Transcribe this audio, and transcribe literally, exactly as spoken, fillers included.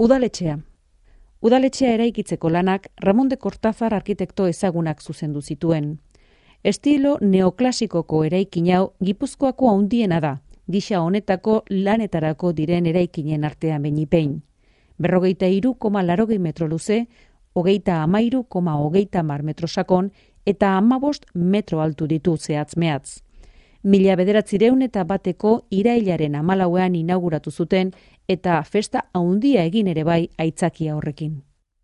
Udaletxea. Udaletxea eraikitzeko lanak Ramon de Cortázar arkitekto ezagunak zuzendu zituen. Estilo neoklasikoko eraikin hau Gipuzkoako handiena da, gisa honetako lanetarako diren eraikinen artean behinik. Berrogeita hiru koma laurogei metro luze, hogeita hamairu koma hogeita hamar metro sakon eta hamabost metro altu ditu zehatz mehatz. Mila bederatzireun eta bateko irailaren hamalauean inauguratu zuten eta festa handia egin ere bai aitzakia horrekin.